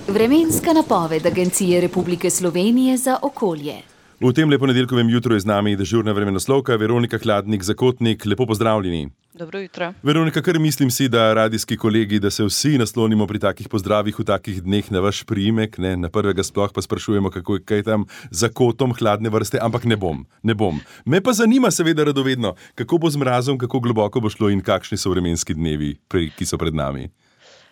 Vremenska napoved Agencije Republike Slovenije za okolje. V tem ponedeljkovem jutru je z nami dežurna vremenoslovka Veronika Hladnik-Zakotnik. Lepo pozdravljeni. Dobro jutro. Veronika, kar mislim si, da radijski kolegi, da se vsi naslonimo pri takih pozdravih v takih dneh na vaš priimek, ne, na prvega sploh pa sprašujemo, kako je kaj tam za kotom hladne vrste, ampak ne bom. Me pa zanima seveda radovedno, kako bo z mrazom, kako globoko bo šlo in kakšni so vremenski dnevi, ki so pred nami.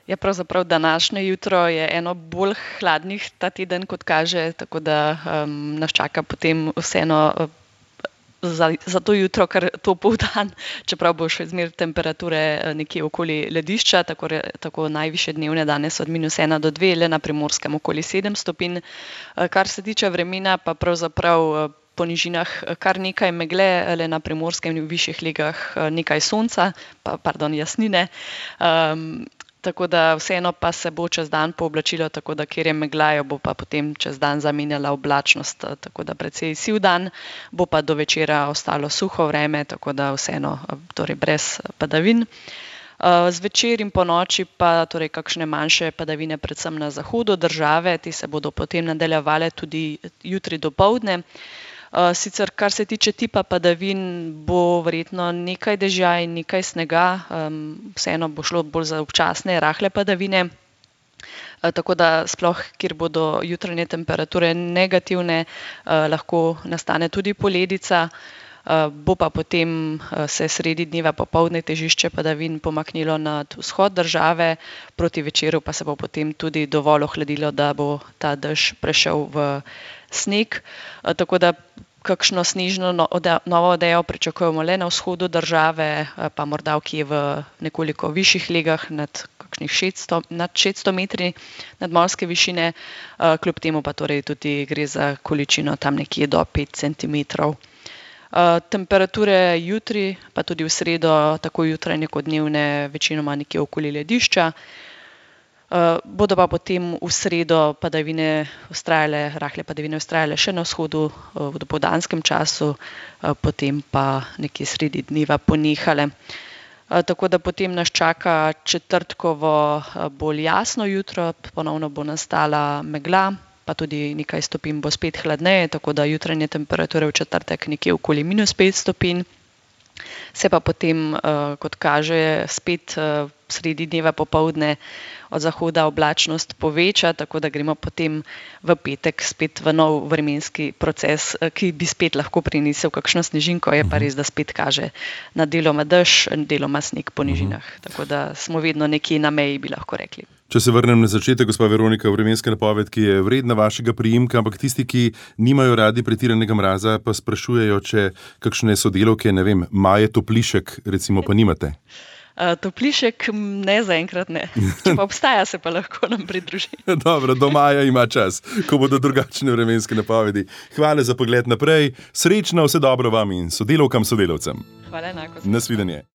Ja, pravzaprav današnje jutro je eno bolj hladnih ta teden, kot kaže, tako da nas čaka potem vseeno za to jutro kar topel dan, čeprav bo še zmeraj temperature nekje okoli ledišča, tako najvišje dnevne danes od -1 do 2, le na Primorskem okoli 7 stopinj. Kar se tiče vremena, pa pravzaprav po nižinah kar nekaj megle, le na Primorskem in v višjih legah nekaj sonca, jasnine. Tako da vseeno pa se bo čez dan pooblačilo, tako da kjer je megla, jo bo pa potem čez dan zamenjala oblačnost, tako da precej siv dan, bo pa do večera ostalo suho vreme, tako da vseeno torej brez padavin. Zvečer in po noči pa torej kakšne manjše padavine, predvsem na zahodu države, te se bodo potem nadaljevale tudi jutri dopoldne. Sicer, kar se tiče tipa padavin, bo verjetno nekaj dežja in nekaj snega, vseeno bo šlo bolj za občasne, rahle padavine, tako da sploh, kjer bodo jutranje temperature negativne, lahko nastane tudi poledica, bo pa potem se sredi dneva popoldne težišče padavin pomaknilo nad vzhod države, proti večeru pa se bo potem tudi dovolj ohladilo, da bo ta dež prešel v sneg, tako da kakšno snežno novo odejo pričakujemo le na vzhodu države, pa morda kje v nekoliko višjih legah nad 600 metri nadmorske višine, kljub temu pa torej tudi gre za količino tam nekje do 5 centimetrov. Temperature jutri, pa tudi v sredo, tako jutranje kot dnevne, večinoma nekje okoli ledišča. Bodo pa potem v sredo rahle padavine vztrajale še na vzhodu v dopoldanskem času, potem pa nekje sredi dneva ponehale. Tako da potem nas čaka četrtkovo bolj jasno jutro, ponovno bo nastala megla, pa tudi nekaj stopinj bo spet hladneje, tako da jutranje temperature v četrtek nekje okoli -5 stopinj. Se pa potem, kot kaže, spet sredi dneva popoldne od zahoda oblačnost poveča, tako da gremo potem v petek spet v nov vremenski proces, ki bi spet lahko prinesel kakšno snežinko, je pa res, da spet kaže na deloma dež, deloma sneg po nižinah. Tako da smo vedno nekje na meji, bi lahko rekli. Če se vrnem na začetek, gospa Veronika, vremenska napoved, ki je vredna vašega priimka, ampak tisti, ki nimajo radi pretiranega mraza, pa sprašujejo, če kakšne sodelavke, ne vem, Maje Toplišek, recimo, pa nimate. Toplišek ne, zaenkrat ne. Če pa obstaja, se pa lahko nam pridruži. Dobro, do maja ima čas, ko bodo drugačne vremenske napovedi. Hvala za pogled naprej, srečno, vse dobro vam in sodelavkam, sodelavcem. Hvala enako. Nasvidenje.